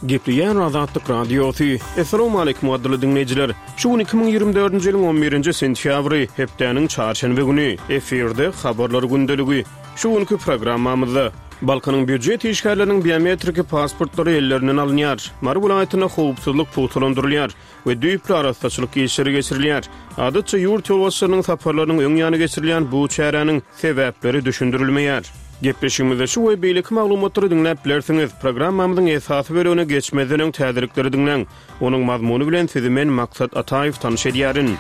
Gepleýär Azatlyk Radiosy. Assalamualaikum gadyrly diňleýjiler. Şu gün 2024-nji ýylyň 11-nji sentýabry, hepdäniň çarşenbe güni. Efirde habarlar gündeligi. Şu günki programmamyzda Balkanyň býujet işgärleriniň biometriki pasportlary ellerinden alynýar. Mary welaýatynda howpsuzlyk pugtalandyrylýar. we düýpli arassaçylyk işleri geçirilýär. Adatça ýurt ýolbaşçylarynyň saparlarynyň öň ýany geçirilýän bu çäräniň sebäpleri düşündirilmeýär. Gepleşigimizde şu we beýleki maglumatlary diňläp bilersiňiz. Programmamyzyň esasy bölegine geçmezden öň täzelikleri diňläň. Onuň mazmuny bilen sizi men Maksat Ataýew tanyş edýärin.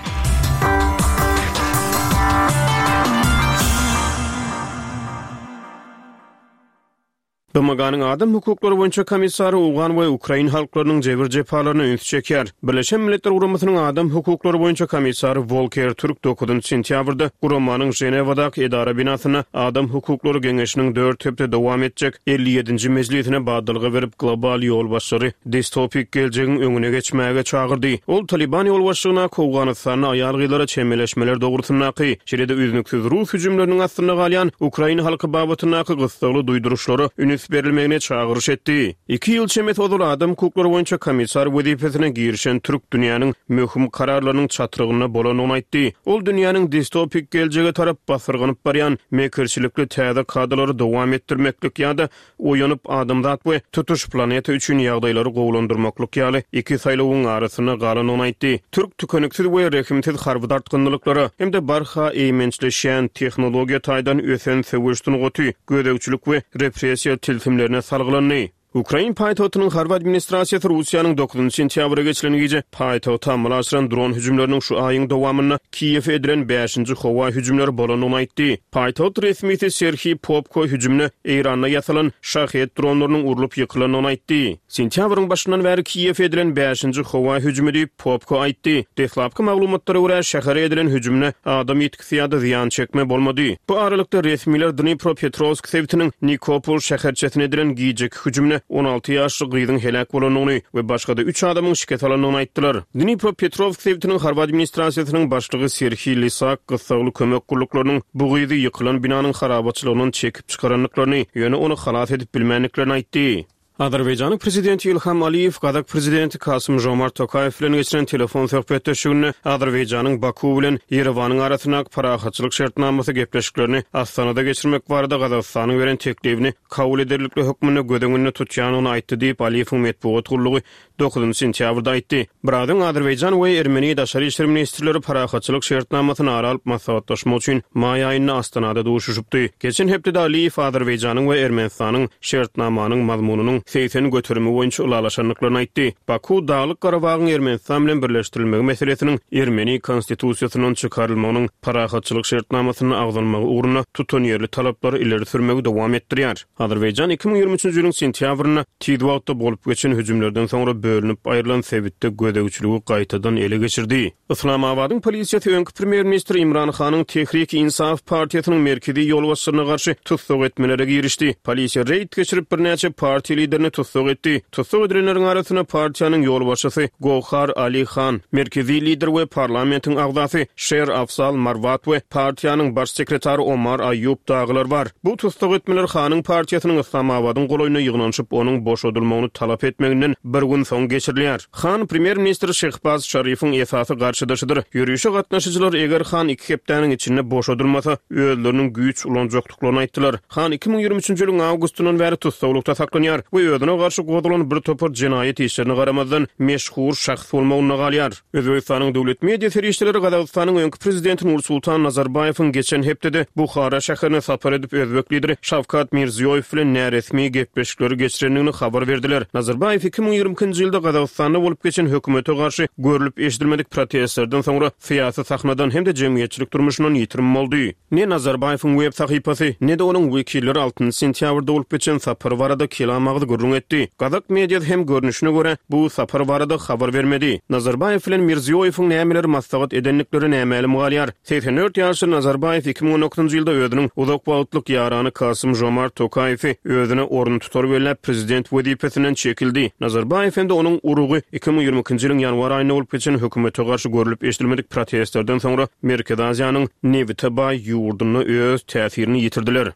BMG-niň Adam hukuklary boýunça komissary owgan we ukrain halklarynyň jebir-jepalaryna ünsi çekýär. Birleşen Milletler Guramasynyň Adam hukuklary boýunça komissary Wolker Türk dokuzynjy sentýabrda guramanyň Ženewadaky edara binasynda Adam hukuklary geňeşiniň dört hepde dowam etjek 57-nji mejlisine badalga berip, global ýolbaşçylary distopik geljegiň öňüne geçmäge çagyrdy. Ol Talyban ýolbaşçylygyndaky Owganystanda aýal-gyzlara çemeleşmeler dogrusyndaky, şeýle-de üznüksiz rus hüjümleriniň astynda galýan ukrain halky babatyndaky gyssagly duýduryşlara üns berilmegine çagyryş etdi. Iki ýyl çemesi ozal adam hukuklary boýunça komissar wezipesine girişen Türk dünýäniň möhüm kararlarynyň çatrygynda bolandygyny aýtdy. Ol dünýäniň distopik geljege tarap basyrganyp barýan mekirçilikli täze kadalary dowam etdirmeklik ýa-da Oýanyp, adamzat we tutuş planeta üçin ýagdaýlary gowulandyrmaklyk ýaly iki saýlawyň arasynda galandygyny aýtdy. Türk tükeniksiz we rehimsiz harby dartgynlyklara hem-de barha eýmençleşýän, tehnologiýa taýdan ösen söweş sungaty, gözegçilik we repressiýa tilsimlerine salgylandy. Ukrain paýtagtynyň harby administrasiýasy Russiýanyň dokuzynjy sentýabra geçilen gije paýtagta amala aşyran dron hüjümleriniň şu aýyň dowamynda Kiýewe edilen bäşinji howa hüjümleri bolandygyny aýtdy. Paýtagt resmisi Serhiý Popko hüjümde Eýranda ýasalan Şahed dronlarynyň urlup ýykylandygyny aýtdy. Sentýabryň başyndan bäri Kiýewe edilen bäşinji howa hüjümi diýip, Popko aýtdy. Deslapky maglumatlara görä, şähere edilen hüjümde adam ýitgisi ýa-da zyýan çekme bolmady. Bu aralykda, resmiler Dnipropetrowsk sebitiniň Nikopol şäherçesine edilen gijeki hüjümde 16 ýaşly gyzyň heläk bolandygyny we başga-da üç adamyň şikes alandygyny aýtdylar. Dnipropetrowsk sebitiniň harby administrasiýasynyň başlygy Serhiý Lisak gyssagly kömek gulluklarynyň bu gyzy ýykylan binanyň harabaçylygyndan çekip çykarandyklaryny, ýöne ony halas edip bilmändiklerini aýtdy. Azerbaýjanyň prezidenti Ilham Aliýew gazak prezidenti Kasym-Žomart Tokaýew bilen geçiren telefon söhbetdeşliginde Azerbaýjanyň Baku bilen Ýerewanyň arasyndaky parahatçylyk şertnamasy gepleşiklerini Astanada geçirmek barada Gazagystanyň beren teklibini kabul ederlikli hökmünde göz öňünde tutýandygyny aýtdy diýip, Aliýewiň metbugat gullugy Dokuzynjy sentýabrda aýtdy. Biraz öň Azerbaýjan we Ermeni daşary işler ministrleri parahatçylyk şertnamasyny ara alyp maslahatlaşmak üçin maý aýynda Astanada duşuşypdy. Geçen hepdede Aliýew Azerbaýjanyň we Ermenistanyň şertnamanyň mazmunynyň 80 göterimi boýunça ylalaşandyklaryny aýtdy. Baku Daglyk Garabagyň Ermenistan bilen birleşdirilmegi meselesiniň ermeni konstitusiýasyndan çykarylmagynyň parahatçylyk şertnamasynda agzalmagy ugrunda tutanýerli talaplary ileri sürmegi dowam etdirýär. Azerbaýjan 2023-nji ýylyň sentýabrynda tiz wagtda bolup geçen hüjümlerden soňra bölünip aýrylan sebitde gözegçiligi gaýtadan ele geçirdi. Yslamabadyň polisiýasy öňki premýer-ministr Imran Hanyň Tehrik-i-Insaf partiýasynyň merkezi ýolbaşçylaryna garşy tussag etmelere girişdi. Polisiýa reýd geçirip, birnäçe partiýa liderini tussag etdi. Tussag edilenleriň arasynda partiýanyň ýolbaşçysy Gohar Ali Han, merkezi lider we parlamentiň agzasy Şer Afzal Marwat we partiýanyň baş sekretary Omar Aýýub dagylar bar. Bu tussag etmeler Hanyň partiýasynyň Yslamabadyň golaýynda ýygnanyşyp, onuň boşadylmagyny talap etmeginden bir gün soň geçirilýär. Han premýer-ministr Şehbaz Şarifiň esasy garşydaşydyr. Ýörişe gatnaşyjylar eger Han iki hepdäniň içinde boşadylmasa, özleriniň güýç ulanjakdyklaryny aýtdylar. Han 2023-nji ýylyň awgustyndan bäri tussaglykda saklanýar we özüne garşy gozgalan bir topar jenaýat işlerine garamazdan, meşhur şahs bolmagynda galýar. Özbegistanyň döwlet media serişdeleri Gazagystanyň öňki prezidenti Nursultan Nazarbaýewiň geçen hepdede Buhara şäherine sapar edip, özbek lideri Şawkat Mirziýoýew bilen näresmi gepleşikleri geçirendigini habar berdiler. Nazarbaýew 2022-nji ýylda Gazagystanda bolup geçen hökümete garşy görlüp-eşidilmedik protestlerden soňra syýasy sahnadan hem-de jemgyýetçilik durmuşyndan ýitirim boldy. Ne Nazarbaýewiň web sahypasy, ne-de onuň wekilleri altynjy sentýabrda bolup geçen sapar barada kelam agyz gürrüň etdi. Gazak mediasy hem görnüşine görä, bu sapar barada habar bermedi. Nazarbaýew bilen Mirziýoýewiň nämeleri maslahat edendikleri nämälim galýar. 84 ýaşly Nazarbaýew 2019-njy ýylda özüniň uzak wagtlyk ýarany Kasym-Žomart Tokaýewi özüne oruntutar belläp, prezident wezipesinden çekildi. Nazarbaýew hem-de onuň urugy 2022-nji ýylyň ýanwar aýynda bolup geçen hökümete garşy görlüp-eşidilmedik protestlerden soňra Merkezi Aziýanyň nebite baý ýurdunda öz täsirini ýitirdiler.